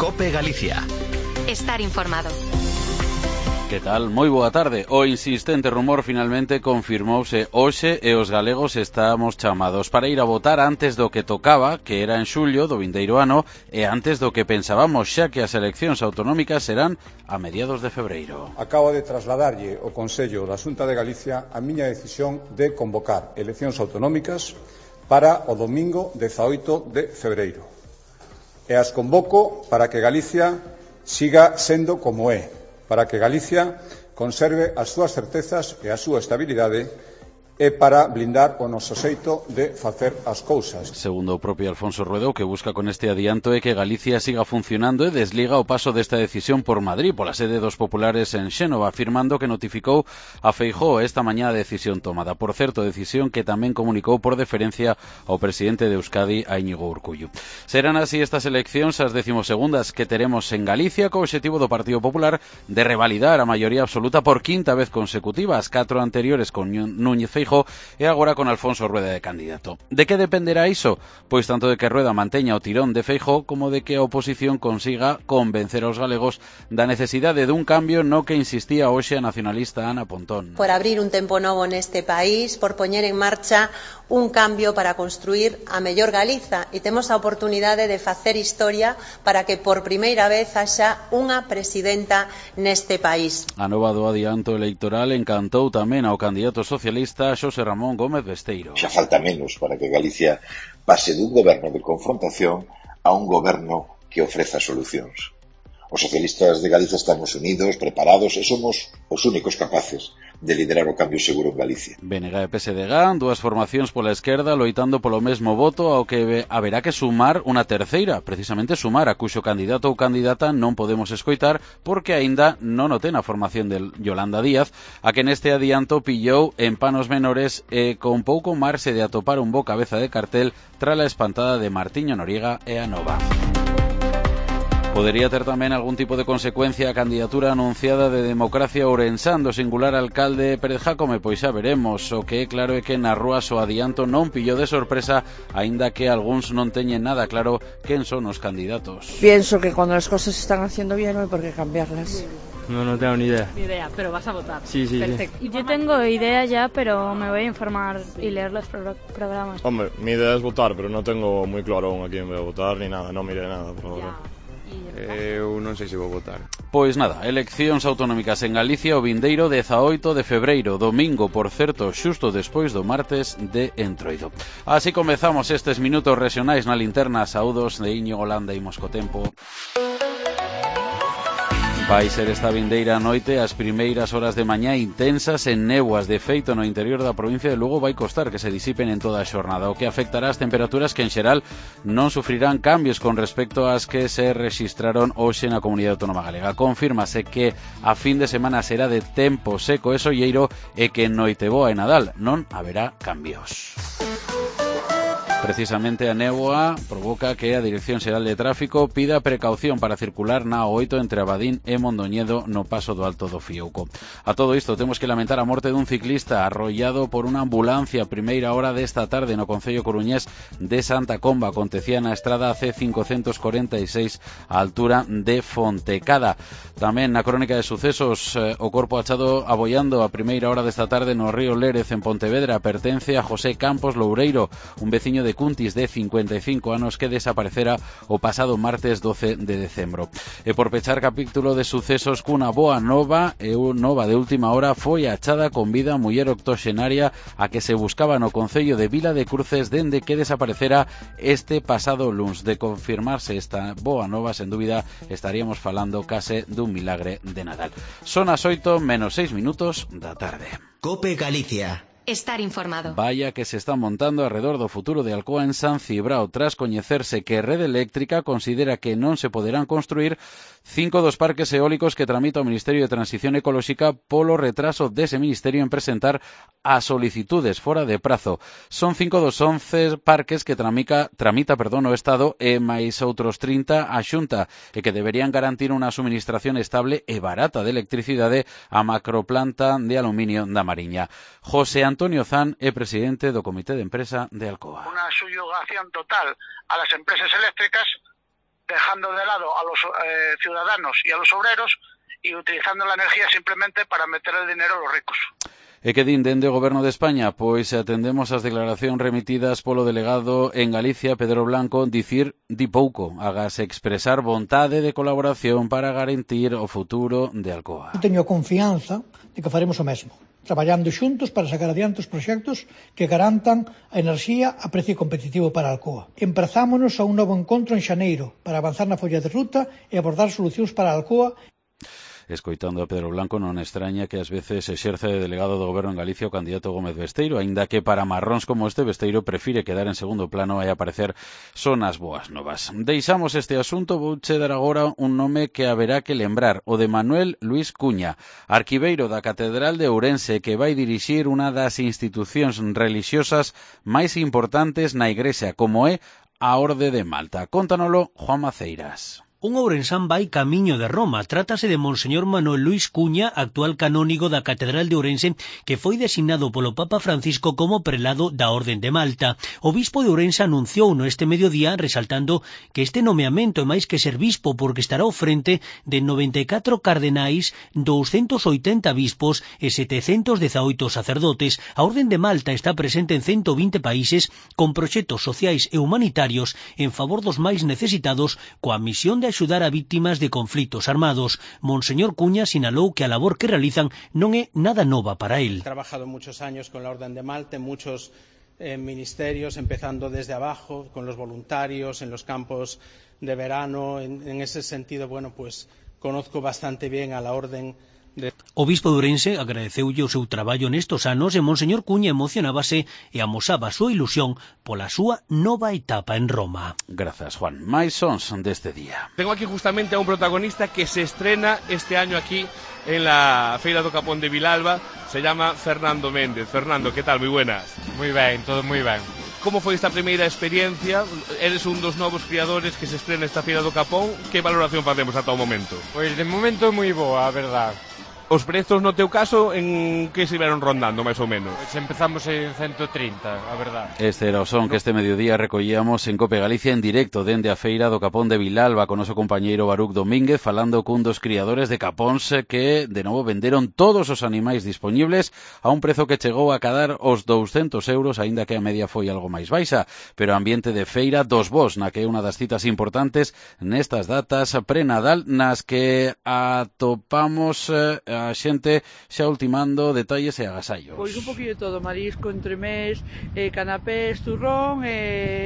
COPE Galicia. Estar informado. Que tal? Moi boa tarde. O insistente rumor finalmente confirmouse hoxe e os galegos estamos chamados para ir a votar antes do que tocaba, que era en xullo do vindeiro ano, e antes do que pensábamos, xa que as eleccións autonómicas serán a mediados de febreiro. Acabo de trasladarlle ao Consello da Xunta de Galicia a miña decisión de convocar eleccións autonómicas para o domingo 18 de febreiro. E as convoco para que Galicia siga sendo como é, para que Galicia conserve as súas certezas e a súa estabilidade e para blindar o noso xeito de facer as cousas. Segundo o propio Alfonso Rueda, o que busca con este adianto é que Galicia siga funcionando e desliga o paso desta decisión por Madrid, pola sede dos populares en Xénova, afirmando que notificou a Feijóo esta mañá a decisión tomada. Por certo, decisión que tamén comunicou por deferencia ao presidente de Euskadi, a Íñigo Urkullu. Serán así estas eleccións as 12º que teremos en Galicia, co obxectivo do Partido Popular de revalidar a maioría absoluta por quinta vez consecutiva, as 4 anteriores con Núñez Feijóo e agora con Alfonso Rueda de candidato. De que dependerá iso? Pois tanto de que Rueda manteña o tirón de Feijóo como de que a oposición consiga convencer aos galegos da necesidade dun cambio no que insistía hoxe a nacionalista Ana Pontón. Por abrir un tempo novo neste país, por poñer en marcha un cambio para construir a mellor Galiza, e temos a oportunidade de facer historia para que por primeira vez haxa unha presidenta neste país. A nova do adianto electoral encantou tamén ao candidato socialista Xosé Ramón Gómez Besteiro. Xa falta menos para que Galicia pase dun goberno de confrontación a un goberno que ofreza solucións. Os socialistas de Galicia estamos unidos, preparados e somos os únicos capaces de liderar o cambio seguro en Galicia. BNG e PSDG, dúas formacións pola esquerda loitando polo mesmo voto ao que haberá que sumar unha terceira, precisamente sumar a cuxo candidato ou candidata non podemos escoitar porque aínda non o ten a formación de Yolanda Díaz, a que neste adianto pillou en panos menores e con pouco marxe de atopar un bo cabeza de cartel tras a espantada de Martiño Noriega e a Nova. Podería ter tamén algún tipo de consecuencia a candidatura anunciada de Democracia Ourensán do singular alcalde Pérez Jácome, pois xa veremos. O que é claro é que nas rúas o adianto non pillou de sorpresa, aínda que algúns non teñen nada claro quen son os candidatos. Pienso que cuando las cosas se están haciendo bien no hay por qué cambiarlas. No tengo ni idea. Ni idea, pero vas a votar. Sí. Perfecto. Sí. Yo tengo idea ya, pero me voy a informar y leer los programas. Hombre, mi idea es votar, pero no tengo muy claro aún a quién voy a votar ni nada, no miré nada por ahora. Eu non sei se vou votar. Pois nada, eleccións autonómicas en Galicia o vindeiro 18 de febreiro, domingo, por certo, xusto despois do martes de Entroido. Así comezamos estes minutos regionais na linterna. Saúdos de Íñigo Landa e Moscotempo. Vai ser esta vindeira noite as primeiras horas de mañá intensas en néboas. De feito, no interior da provincia de Lugo vai costar que se disipen en toda a xornada, o que afectará as temperaturas que en xeral non sufrirán cambios con respecto ás que se rexistraron hoxe na Comunidade Autónoma Galega. Confírmase que a fin de semana será de tempo seco e solleiro e que en Noiteboa e Nadal non haberá cambios. Precisamente a néboa provoca que a Dirección Xeral de Tráfico pida precaución para circular na O8 entre Abadín e Mondoñedo no paso do Alto do Fiouco. A todo isto temos que lamentar a morte dun ciclista arrollado por unha ambulancia a primeira hora desta tarde no concello coruñés de Santa Comba. Acontecía na estrada C546 á altura de Fontecada. Tamén na crónica de sucesos, o corpo achado aboiando a primeira hora desta tarde no río Lérez en Pontevedra pertence a José Campos Loureiro, un veciño de Cuntis de 55 anos que desaparecera o pasado martes 12 de decembro. E por pechar capítulo de sucesos cunha boa nova, nova de última hora, foi achada con vida a muller octoxenaria a que se buscaba no concello de Vila de Cruces dende que desaparecera este pasado luns. De confirmarse esta boa nova, sen dúbida estaríamos falando case dun milagre de Nadal. Son as 8:06 da tarde. COPE Galicia. Estar informado. Vaya que se está montando alrededor do futuro de Alcoa en San Cibrao tras coñecerse que Rede Eléctrica considera que non se poderán construir 5 dos parques eólicos que tramita o Ministerio de Transición Ecolóxica polo retraso dese ministerio en presentar as solicitudes fora de prazo. Son 5 dos 11 parques que tramita o Estado e máis outros 30 a Xunta e que deberían garantir unha suministración estable e barata de electricidade á macroplanta de aluminio da Mariña. José Antonio Zan é presidente do Comité de Empresa de Alcoa. Una subrogación total a las empresas eléctricas dejando de lado a los ciudadanos y a los obreros y utilizando la energía simplemente para meter el dinero a los ricos. E que din dende o Goberno de España? Pois atendemos as declaracións remitidas polo delegado en Galicia, Pedro Blanco, dicir di pouco, agase expresar vontade de colaboración para garantir o futuro de Alcoa. Teño confianza de que faremos o mesmo, traballando xuntos para sacar adiante os proxectos que garantan a enerxía a precio competitivo para Alcoa. Emprazámonos a un novo encontro en xaneiro para avanzar na folla de ruta e abordar solucións para Alcoa. Escoitando a Pedro Blanco, non extraña que ás veces exerce de delegado do Goberno en Galicia o candidato Gómez Besteiro, aínda que para marróns como este, Besteiro prefire quedar en segundo plano e aparecer son as boas novas. Deixamos este asunto, vouche dar agora un nome que haberá que lembrar, o de Manuel Luis Cuña, arquiveiro da Catedral de Ourense, que vai dirixir unha das institucións religiosas máis importantes na Igrexa, como é a Orde de Malta. Cóntanolo Juan Maceiras. Un ourensán vai camiño de Roma. Trátase de Monseñor Manuel Luis Cuña, actual canónigo da Catedral de Ourense, que foi designado polo Papa Francisco como prelado da Orden de Malta. O bispo de Ourense anunciou no este mediodía, resaltando que este nomeamento é máis que ser bispo, porque estará ao frente de 94 cardenais, 280 bispos e 718 sacerdotes. A Orden de Malta está presente en 120 países con proxectos sociais e humanitarios en favor dos máis necesitados, coa misión de axudar a víctimas de conflitos armados. Monseñor Cuña sinalou que a labor que realizan non é nada nova para él. He trabajado muchos años con la Orden de Malta, en muchos ministerios, empezando desde abajo, con los voluntarios, en los campos de verano. En ese sentido, bueno, pues conozco bastante bien a la Orden O bispo de Ourense agradeceulle o seu traballo nestos anos e Monseñor Cuña emocionábase e amosaba a súa ilusión pola súa nova etapa en Roma. Grazas, Juan. Máis sons deste día. Tengo aquí justamente a un protagonista que se estrena este año aquí en la Feira do Capón de Vilalba. Se llama Fernando Méndez. Fernando, ¿qué tal? Muy buenas. Muy ben, todo moi ben. ¿Cómo foi esta primeira experiencia? Eres un dos novos criadores que se estrena esta Feira do Capón. Que valoración facemos ata o momento? Pois de momento moi boa, a verdade. Os prezos no teu caso en que se veron rondando, máis ou menos? Pois empezamos en 130, a verdade. Este era o son que este mediodía recollíamos en Cope Galicia en directo dende a Feira do Capón de Vilalba con noso compañeiro Baruc Domínguez falando cun dos criadores de capóns que de novo venderon todos os animais disponibles a un prezo que chegou a cadar os 200 euros, aínda que a media foi algo máis baixa, pero ambiente de feira dos bos, na que é unha das citas importantes nestas datas pre-Nadal nas que atopamos a xente xa ultimando detalles e agasallos. Pois un poquinho de todo, marisco, entremés, canapés, turrón,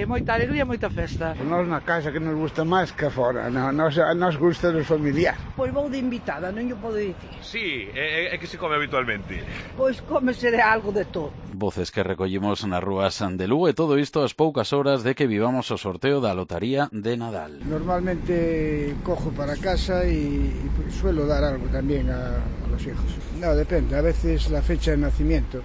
moita alegría, moita festa. Nós na casa que nos gusta máis que fora, nos gusta dos familiares. Pois vou de invitada, non yo podo dicir. Sí, é que se come habitualmente. Pois cómese de algo de todo. Voces que recollimos nas rúas de Lugo e todo isto ás poucas horas de que vivamos o sorteo da lotaría de Nadal. Normalmente cojo para casa y suelo dar algo también a los hijos. No, depende, a veces la fecha de nacimiento.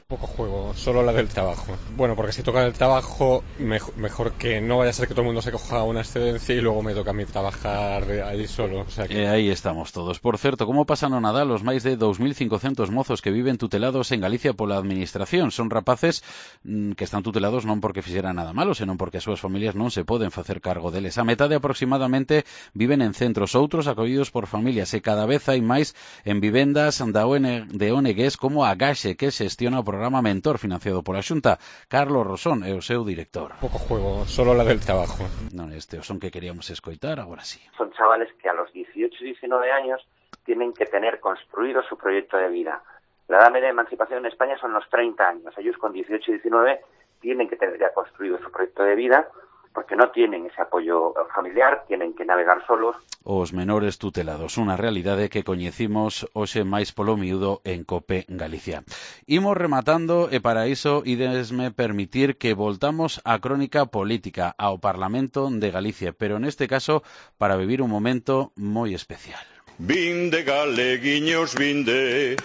Poco juego, solo la del trabajo. Bueno, porque si toca el trabajo, mejor que no vaya a ser que todo el mundo se coja una excedencia y luego me toca a mí trabajar ahí solo. O sea que... aí estamos todos. Por certo, como pasan o Nadal os máis de 2.500 mozos que viven tutelados en Galicia pola Administración? Son rapaces que están tutelados non porque fixeran nada malo, senón porque as súas familias non se poden facer cargo deles. A metade aproximadamente viven en centros, outros acollidos por familias e cada vez hai máis en vivendas de ONGs como a Gaxe, que xestiona o programa Mentor financiado pola Xunta. Carlos Rosón é o seu director. Poco juego, solo la del trabajo. Non, este o son que queríamos escoitar, agora sí. Son chavales que a los 18 y 19 años tienen que tener construido su proyecto de vida. La edad media de emancipación en España son los 30 años. Ellos con 18 y 19 tienen que tener ya construido su proyecto de vida porque no tienen ese apoyo familiar, tienen que navegar solos. Os menores tutelados, unha realidade que coñecimos hoxe máis polo miúdo en Cope Galicia. Imos rematando e para iso idesme permitir que voltamos á crónica política, ao Parlamento de Galicia, pero neste caso para vivir un momento moi especial. Vinde galeguiños, vinde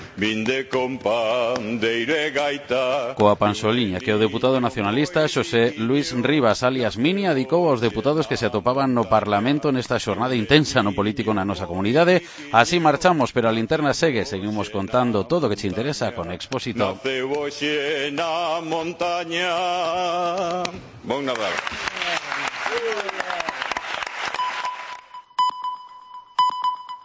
con pandeiro e gaita. Coa pansoliña que o deputado nacionalista Xosé Luis Rivas alias Mini adicou aos deputados que se atopaban no Parlamento nesta xornada intensa no político na nosa comunidade. Así marchamos, pero a linterna segue, seguimos contando todo o que te interesa con Expósito. Naceu hoxe na montaña. Bon Nadal.